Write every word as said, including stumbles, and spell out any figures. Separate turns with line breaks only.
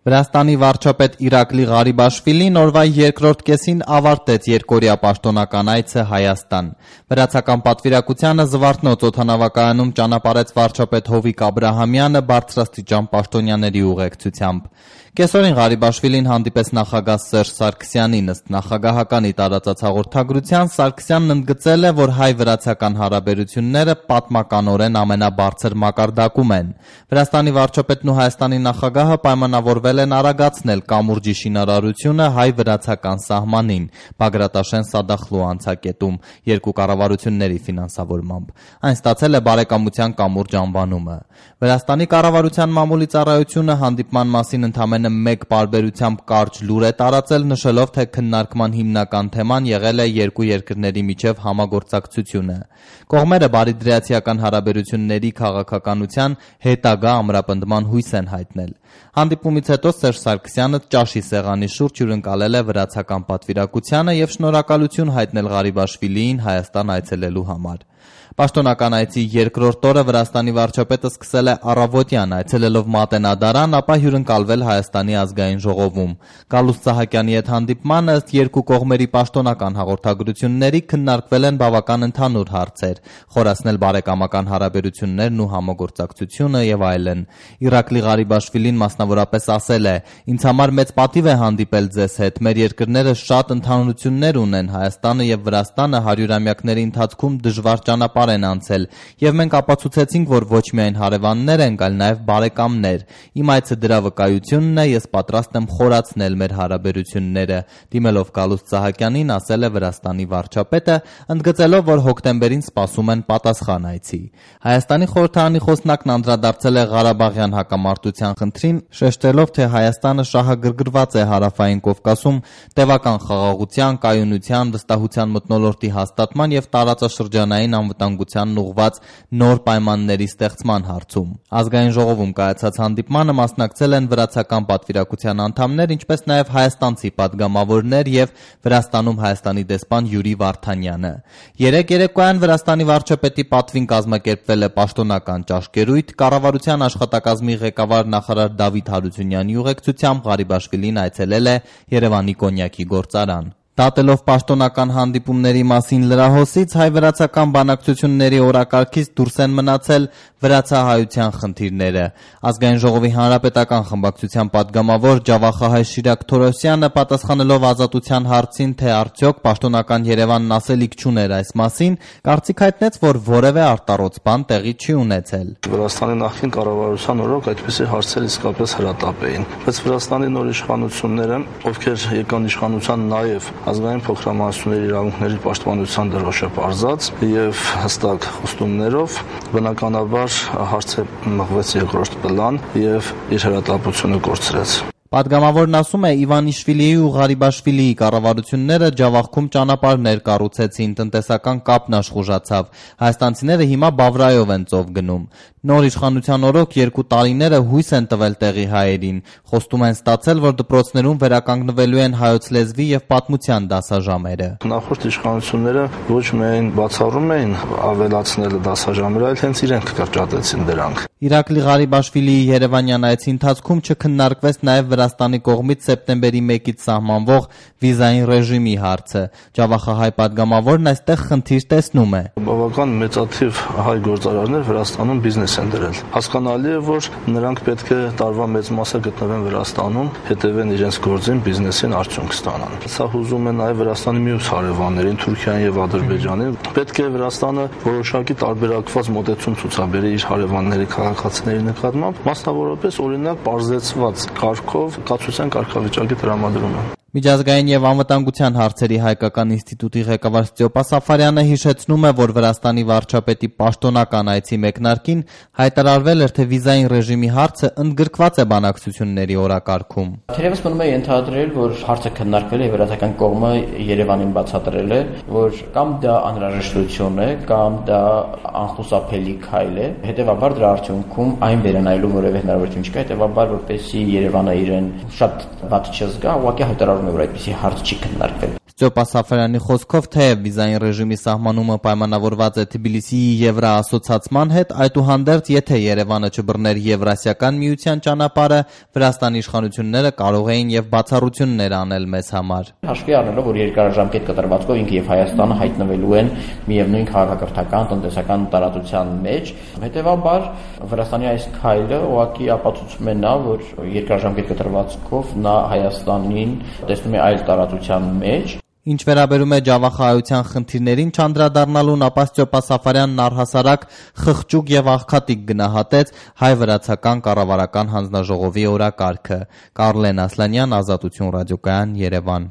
Վրաստանի վարչապետ Իրակլի Ղարիբաշվիլին օրվա երկրորդ կեսին ավարտեց երկօրյա պաշտոնական այցը Հայաստան։ Վրացական պատվիրակությանը Զվարթնոց օդանավակայանում ճանապարհեց վարչապետ Հովիկ Աբրահամյանը բարձրաստիճան պաշտոնյաների ուղեկցությամբ։ Կեսօրին Ղարիբաշվիլին հանդիպեց նախագահ Սերժ Սարգսյանին։ Ըստ նախագահականի տարածած հաղորդագրության Սարգսյանն ընդգծել է, որ հայ-վրացական հարաբերությունները պատմականորեն ամենաբարձր մակարդակում են։ Վրաստանի վարչապետն ու Հայաստանի նախագահը պայմանավորվել են արագացնել կամուրջի շինարարությունը հայ-վրացական սահմանին Բագրատաշեն Սադախլու անցակետում երկու կառավարությունների ֆինանսավորմամբ։ Այն ստացել է բարեկամության կամուրջ անվանումը։ Վրաստանի կառավարության մամուլի ծառայությունը հանդիպման մասին ընդամենը մեկ պարբերությամբ կարճ լուր է տարածել, նշելով, թե քննարկման հիմնական թեման եղել է երկու երկրների միջև համագործակցությունը։ Կողմերը բարիդրացիական հարաբերությունների քաղաքականության հետագա ամրապնդման հույս են հայտնել։ Հանդիպումից հետո Սերժ Սարգսյանը ճաշի սեղանի շուրջ հյուրընկալել է վրացական պատվիրակությանը եւ շնորհակալություն հայտնել Ղարիբաշվիլիին Հայաստան այցելելու համար։ Պաշտոնական այցի երկրորդ օրը Վրաստանի վարչապետը սկսել է առավոտյան այցելելով Մատենադարան, ապա հյուրընկալվել Հայաստանի ազգային ժողովում։ Գալուստ Սահակյանի հետ հանդիպմանը ըստ երկու կողմերի պաշտոնական հաղորդագրությունների քննարկվել են բավական ընդհանուր հարցեր, խորացնել բարեկամական հարաբերություններն ու համագործակցությունը եւ այլն։ Իրակլի Ղարիբաշվիլին մասնավորապես ասել է. «Ինձ համար մեծ պատիվ է հանդիպել ձեզ հետ։ Մեր երկրները շատ ընդհանրություններ ունեն։ Հայաստանը եւ Վրաստանը հարյուրամյակների ընթացքում դժվար ճանապարհ են անցել եւ մենք ապացուցեցինք, որ ոչ միայն հարևաններ ենք, այլ նաեւ բարեկամներ։ Իմ այցը դրա վկայությունն է, ես պատրաստ եմ խորացնել մեր հարաբերությունները», դիմելով Գալուստ Սահակյանին ասել է Վրաստանի վարչապետը, ընդգծելով, որ հոկտեմբերին սպասում են պատասխան այցի։ Հայաստանի խորհրդարանի խոսնակն անդրադարձել է Ղարաբաղյան հակամարտության խնդրին, շեշտելով, թե Հայաստանը շահագրգռված է Հարավային Կովկասում տևական խաղաղության, կայունության, վստահության մթնոլորտի հաստատման եւ տարածաշրջանային անվտանգությանն ուղղված նոր պայմանների ստեղծման հարցում։ Ազգային ժողովում կայացած հանդիպմանը մասնակցել են վրացական պատվիրակության անդամներ, ինչպես նաեւ հայաստանցի падգամավորներ եւ Վրաստանում Հայաստանի դեսպան Յուրի Վարդանյանը։ Երեկ երեկոյան Վրաստանի վարչապետի պատվին կազմակերպվել է պաշտոնական ճաշկերույթ, կառավարության աշխատակազմի ղեկավար նախարար Դավիթ Հարությունյանի ուղեկցությամբ Ղարիբաշվիլին այցելել է Երևանի կոնյակի գործարան։ Դատելով պաշտոնական հանդիպումների մասին լրահոսից, հայ-վրացական բանակցությունների օրակարգից դուրս են մնացել վրացահայության խնդիրները։ Ազգային ժողովի հանրապետական խմբակցության падգամավոր Ջավախահայ Շիրակ Թորոսյանը պատասխանելով Ազատության հարցին, թե արդյոք պաշտոնական Երևանն ասելիք չուներ այս մասին, կարծիք հայտնեց, որ որևէ արտառոց բան տեղի չի ունեցել։
Վրաստանի նախկին կառավարության օրոք այդպիսի հարցեր իսկապես հրատապ էին, բայց Վրաստանի նոր իշխանությունները, ովքեր եկան իշխանության նաև ազգային փոքրամասնությունների իրավունքների պաշտպանության դրոշը պարզած եւ հստակ խոստումներով, բնականաբար հարցը մղվեց երկրորդ պլան եւ իր հրատապությունը կորցրեց։
Պատգամավորն ասում է, Իվանիշվիլիի ու Ղարիբաշվիլիի կառավարությունները Ջավախքում ճանապարհներ կառուցեցին, տնտեսական կապն աշխուժացավ։ Հայաստանցիները հիմա Բավրայով են ծով գնում։ Նոր իշխանության օրոք երկու տարիները հույս են տվել տեղի հայերին։ Խոստում են ստացել, որ դպրոցներում վերականգնվելու են հայոց լեզվի եւ պատմության դասաժամերը։
Նախորդ իշխանությունները ոչ միայն բացառում էին ավելացնել դասաժամերը, այլ հենց իրենք կրճատեցին դրանք։
Իրակլի Ղարիբաշվիլիի Երևանյան այցի ընթացքում չքննարկվեց նաեւ Վրաստանի կողմից սեպտեմբերի մեկից սահմանվող վիզային ռեժիմի հարցը։ Ջավախահայ падգամավորն այստեղ խնդիր տեսնում է։
Բավական մեծաթիվ հայ գործարարներ Վրաստանում բիզնես են դրել։ Հասկանալի է, որ նրանք պետք է տարվա մեծ մասը գտնվեն Վրաստանում, հետևեն իրենց գործին, բիզնեսին արդյունք ստանան։ Սա հուզում է նաեւ Վրաստանի մյուս հարևաններին, Թուրքիային եւ Ադրբեջանին։ Պետք է Վրաստանը որոշակի տարբերակված մոտեցում ցուցաբերի իր հարևանների քաղաքացիների նկատմամբ, մասնավորապես օրինակ պարզեցված կարգով կացության կարգավիճակի տրամադրումը։
Միջազգային եւ անվտանգության հարցերի հայկական ինստիտուտի ղեկավար Ստյոպա Սաֆարյանը հիշեցնում է, որ Վրաստանի վարչապետի պաշտոնական այցի մեկնարկին հայտարարվել էր, թե վիզային ռեժիմի հարցը ընդգրկված է բանակցությունների օրակարգում։
Թերևս մնում է ենթադրել, որ հարցը քննարկվել է, վրացական կողմը Երևանին բացատրել է, որ կամ դա անհրաժեշտություն է, կամ դա անխուսափելի քայլ է, հետեւաբար դրա արդյունքում այն վերանայելու որևէ հնարավորություն չկա, հետեւաբար որպեսզի Երևանը իրեն շատ վատ չզգա, ուղղակի հայտարարում է, որ այդպիսի հարց չի քննարկվել։
Ստյոպա Սաֆարյանի խոսքով, թեև վիզային ռեժիմի սահմանումը պայմանավորված է Թբիլիսիի Եվրոասոցիացման հետ, այդուհանդերձ, եթե Երևանը չբռներ Եվրասիական միության ճանապարհը, Վրաստանի իշխանությունները կարող էին եւ բացառություններ անել մեզ համար։
Հաշվի առնելով, որ երկարաժամկետ կտրվածքով ինքը եւ Հայաստանը հայտնվելու են միևնույն քաղաքակրթական, տնտեսական տարածության մեջ, հետեւաբար Վրաստանի այս քայլը ուղղակի ապացուցում է նա, որ երկարաժամկետ կտրվածքով նա Հայաստանին տեսնում է այլ տարածության մեջ։
Ինչ վերաբերում է ջավախայության խնդիրներին չանդրադառնալուն, ապա Ստյոպա Սաֆարյանն առհասարակ խղճուկ եւ աղքատիկ գնահատեց հայ-վրացական կառավարական հանձնաժողովի օրակարգը։ Կարլեն Ասլանյան, Ազատություն ռադիոկայան, Երևան։